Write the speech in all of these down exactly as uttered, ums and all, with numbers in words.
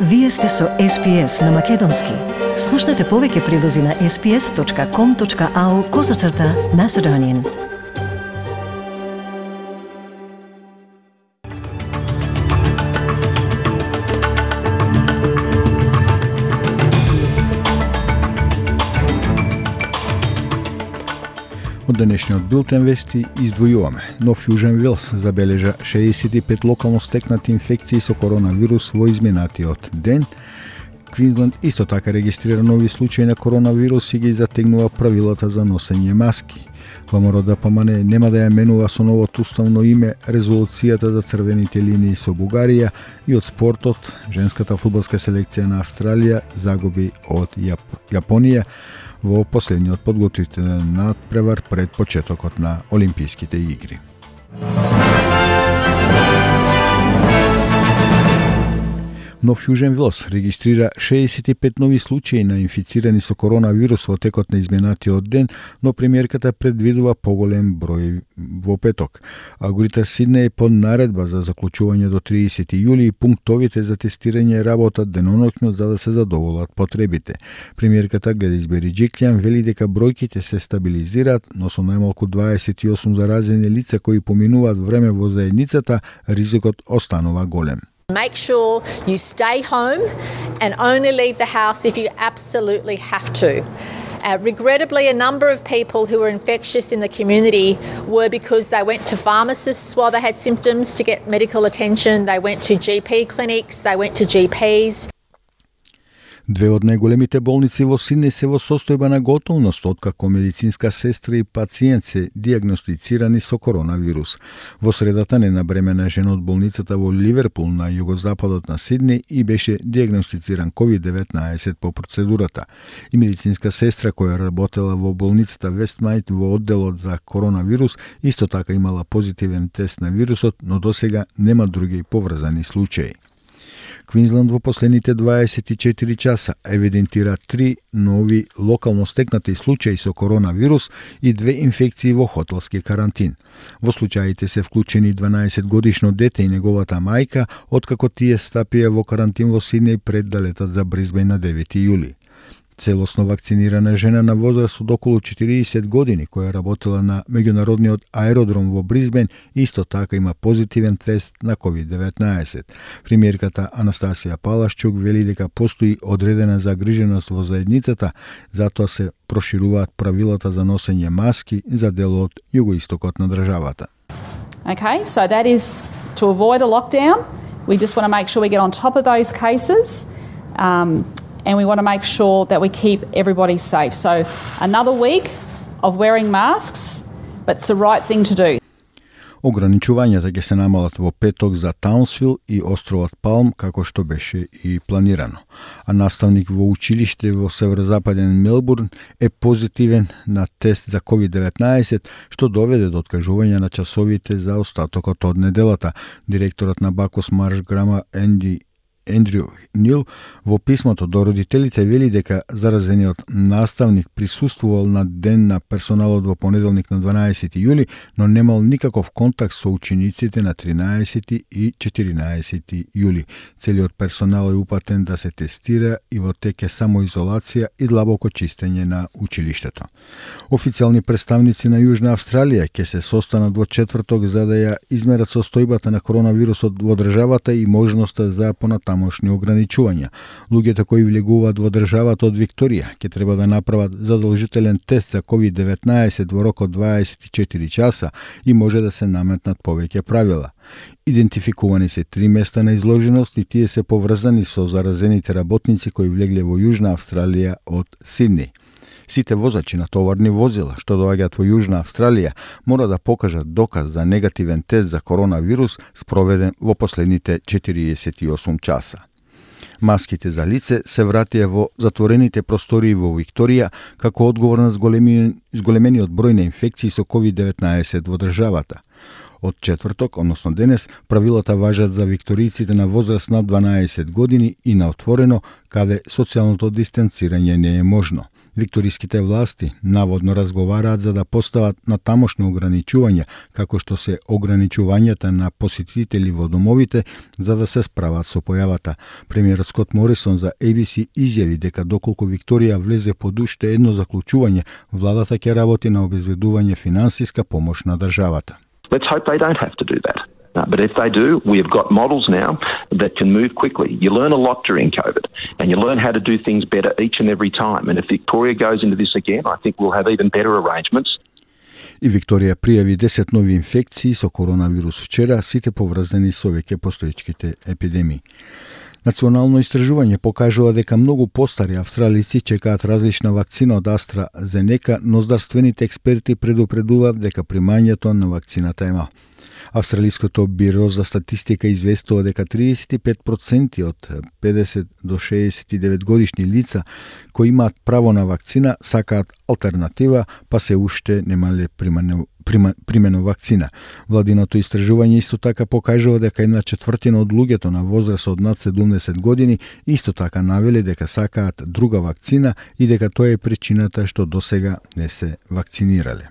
Вие сте со Ес Би Ес на Македонски. Слушнете повеќе прилози на ес би ес точка ком точка ау козацрта Macedonian. Од денешниот билтен вести издвојуваме. Нов Јужен Велс забележа шеесет и пет локално стекнати инфекции со коронавирус во изминатиот ден. Квинсленд исто така регистрира нови случаи на коронавирус и ги затегнува правилата за носење маски. ВМРО да помане нема да ја менува со новото уставно име резолуцијата за црвените линии со Бугарија и од спортот женската фудбалска селекција на Австралија загуби од Јап... Јапонија во последниот подготвителен надпревар пред почетокот на Олимписките игри. Нов Јужен Велс регистрира шеесет и пет нови случаи на инфицирани со коронавирус во текот на изминатиот ден, но премиерката предвидува поголем број во петок. А Грејтер Сиднеј под наредба за заклучување до триесети јули и пунктовите за тестирање работат деноноќно за да се задоволат потребите. Премиерката Гледис Бериџиклјан вели дека бројките се стабилизираат, но со најмалку дваесет и осум заразени лица кои поминуваат време во заедницата, ризикот останува голем. Make sure you stay home and only leave the house if you absolutely have to. Uh, regrettably, a number of people who were infectious in the community were because they went to pharmacists while they had symptoms to get medical attention, they went to G P clinics, they went to G Ps. Две од најголемите болници во Сиднеј се во состојба на готовност, откако медицинска сестра и пациент се диагностицирани со коронавирус. Во средата ненабремена жена од болницата во Ливерпул на југозападот на Сиднеј и беше диагностициран ковид деветнаесет по процедурата. И медицинска сестра која работела во болницата Вестмајт во одделот за коронавирус исто така имала позитивен тест на вирусот, но досега нема други поврзани случаи. Квинсленд во последните дваесет и четири часа евидентира три нови локално стекнати случаи со коронавирус и две инфекции во хотелски карантин. Во случаите се вклучени дванаесет годишно дете и неговата мајка, откако тие стапија во карантин во Сиднеј пред да летат за Бризбејн на девети јули. Целосно вакцинирана жена на возраст од околу четириесет години, која работела на меѓународниот аеродром во Бризбејн, исто така има позитивен тест на ковид деветнаесет. Премиерката Анастасија Палашчук вели дека постои одредена загриженост во заедницата, затоа се прошируваат правилата за носење маски за дел од југоистокот на државата. Okay, so that is to avoid a lockdown. We just want to make sure we get on top of those cases. Um, And we want to make sure that we keep everybody safe. So another week of wearing masks, but it's the right thing to do. Ограничувањата ќе се намалат во петок за Таунсвил и островот Палм, како што беше и планирано. А наставник во училиште во северозападен Мелбурн е позитивен на тест за ковид деветнаесет, што доведе до откажување на часовите за остатокот од неделата. Директорот на Бакос Марш Грама Енди Ендрю Нил во писмото до родителите вели дека заразениот наставник присуствувал на ден на персоналот во понеделник на дванаесети јули, но немал никаков контакт со учениците на тринаесети и четиринаесети јули. Целиот персонал е упатен да се тестира и во теке самоизолација и длабоко чистење на училиштето. Официјални представници на Јужна Австралија ќе се состанат во четврток за да ја измерат состојбата на коронавирусот во државата и можноста за понатамошни ограничувања. Луѓето кои влегуваат во државата од Викторија ќе треба да направат задолжителен тест за ковид деветнаесет во рок од дваесет и четири часа и може да се наметнат повеќе правила. Идентификувани се три места на изложеност и тие се поврзани со заразените работници кои влегле во Јужна Австралија од Сиднеј. Сите возачи на товарни возила што доаѓаат во Јужна Австралија мора да покажат доказ за негативен тест за коронавирус спроведен во последните четириесет и осум часа. Маските за лице се вратија во затворените простории во Викторија како одговор на зголемениот број на инфекции со ковид деветнаесет во државата. Од четврток, односно денес, правилата важат за викторијците на возраст над дванаесет години и на отворено, каде социјалното дистанцирање не е можно. Викториските власти наводно разговараат за да постават на тамошни ограничувања, како што се ограничувањата на посетители во домовите за да се справат со појавата. Премиерот Скот Морисон за A B C изјави дека доколку Викторија влезе под уште едно заклучување, владата ќе работи на обезбедување финансиска помош на државата. Let's hope they don't have to do that. Uh, but if they do, we have got models now that can move quickly. You learn a lot during COVID, and you learn how to do things better each and every time. And if Victoria goes into this again, I think we'll have even better arrangements. И Викторија пријави десет нови инфекции со коронавирус вчера, сите поврзани со веќе постоечките епидемии. Национално истражување покажува дека многу постари австралици чекаат различна вакцина од AstraZeneca, но здравствените експерти предупредуваат дека примањето на вакцината е мал. Австралиското биро за статистика известува дека триесет и пет проценти од педесет до шеесет и девет годишни лица кои имаат право на вакцина сакаат алтернатива, па се уште немале примано примено вакцина. Владиното истражување исто така покажува дека една четвртина од луѓето на возраст од над седумдесет години исто така навели дека сакаат друга вакцина и дека тоа е причината што досега не се вакцинирале.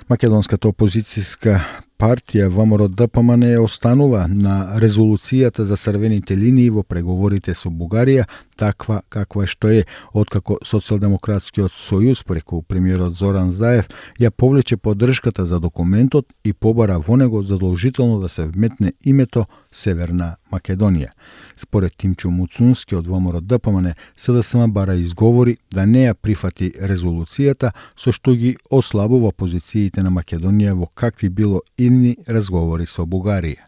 Македонската опозицијска партија ВМРО Д П М Н останува на резолуцијата за црвените линии во преговорите со Бугарија, таква каква што е, откако Социјалдемократскиот сојуз преку премиерот Зоран Заев ја повлече поддршката за документот и побара во него задолжително да се вметне името Северна Македонија. Според Тимчо Муцунски од ВМРО Д П М Н, С Д С М бара изговори да не ја прифати резолуцијата, со што ги ослабува позициите на Македонија во какви било идни разговори со Бугарија.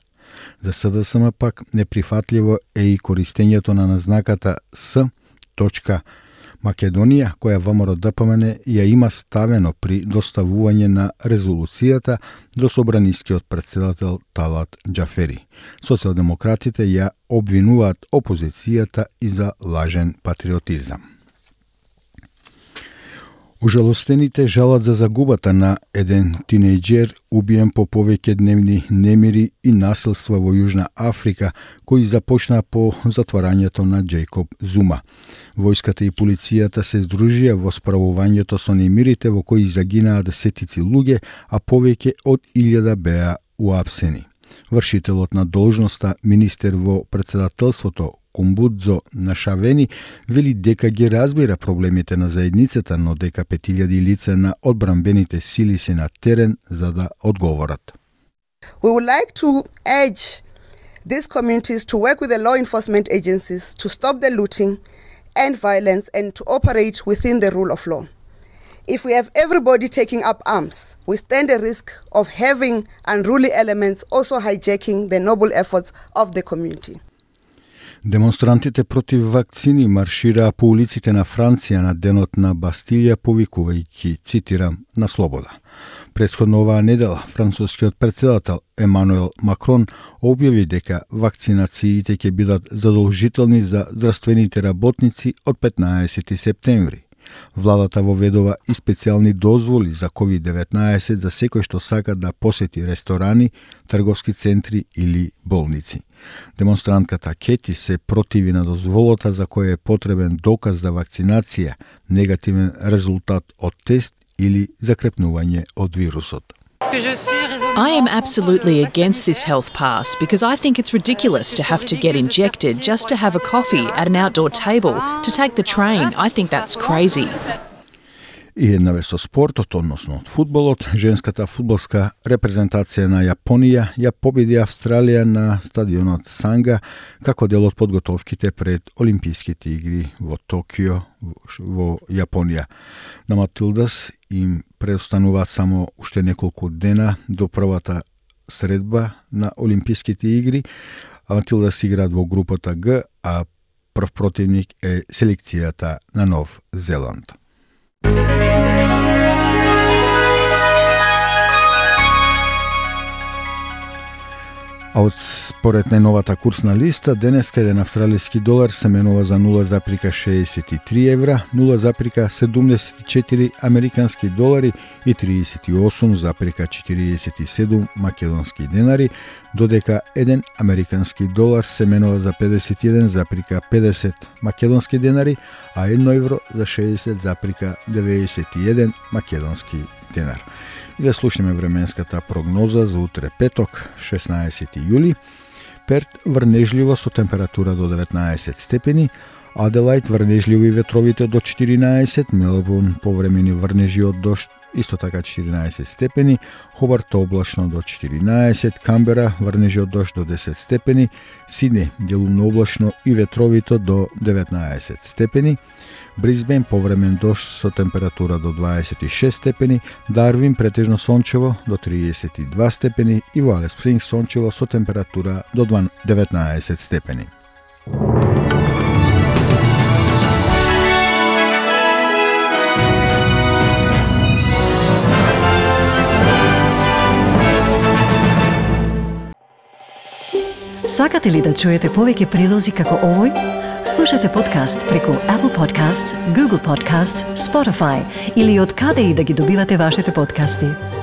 За С Д С М пак неприфатливо е и користењето на назнаката С. Македонија, која ВМРО Д П М Н ја има ставено при доставување на резолуцијата до собранискиот претседател Талат Џафери. Социјалдемократите ја обвинуваат опозицијата и за лажен патриотизам. Ужалостените жалат за загубата на еден тинејџер убиен по повеќе дневни немири и насилства во Јужна Африка, кои започна по затварањето на Џејкоб Зума. Војската и полицијата се здружија во справувањето со немирите во кои загинаа десетици луѓе, а повеќе од илјада беа уапсени. Вршителот на должноста, министер во претседателството Кумбудзо Нашавени, вели дека ги разбира проблемите на заедницата, но дека пет илјади лица на одбранбените сили се на терен за да одговорат. We would like to urge these communities to work with the law enforcement agencies to stop the looting and violence and to operate within the rule of law. If we have everybody taking up arms, we stand a risk of having unruly elements also hijacking the noble efforts of the community. Демонстрантите против вакцини маршираа по улиците на Франција на денот на Бастилија, повикувајќи, цитирам, на слобода. Претходно оваа недела, францускиот претседател Емануел Макрон објави дека вакцинациите ќе бидат задолжителни за здравствените работници од петнаесети септември. Владата воведува и специјални дозволи за ковид деветнаесет за секој што сака да посети ресторани, трговски центри или болници. Демонстрантката Кети се противи на дозволата за која е потребен доказ за вакцинација, негативен резултат од тест или закрепнување од вирусот. I am absolutely against this health pass because I think it's ridiculous to have to get injected just to have a coffee at an outdoor table, to take the train. I think that's crazy. И една вест од спортот, односно од фудбалот, женската фудбалска репрезентација на Јапонија ја победи Австралија на стадионот Санга како дел од подготовките пред Олимписките игри во Токио во Јапонија. На Матилдас им преостануваат само уште неколку дена до првата средба на Олимписките игри. Матилдас играат во групата Г, а прв противник е селекцијата на Нов Зеланд. А од според најновата курсна листа, денеска еден австралиски долар се менува за нула запирка шеесет и три евра, нула запирка седумдесет и четири американски долари и триесет и осум запирка четириесет и седум македонски денари, додека еден американски долар се менува за педесет и еден запирка педесет македонски денари, а едно евро за шеесет запирка деветдесет и еден македонски денар. И да слушнеме временската прогноза за утре петок, шеснаесети јули. Перт врнежливо со температура до деветнаесет степени, Аделајд врнежливо и ветровите до четиринаесет, Мелбурн повремени врнежи од дожд исто така четиринаесет степени, Хобарт облачно до четиринаесет, Камбера врнежи од дожд до десет степени, Сиднеј делумно облачно и ветровито до деветнаесет степени, Брисбен повремен дожд со температура до дваесет и шест степени, Дарвин претежно сончево до триесет и два степени и во Алис Спрингс сончево со температура до деветнаесет степени. Сакате ли да чуете повеќе прилози како овој? Слушате подкаст преку Apple Podcasts, Google Podcasts, Spotify или од каде и да ги добивате вашите подкасти.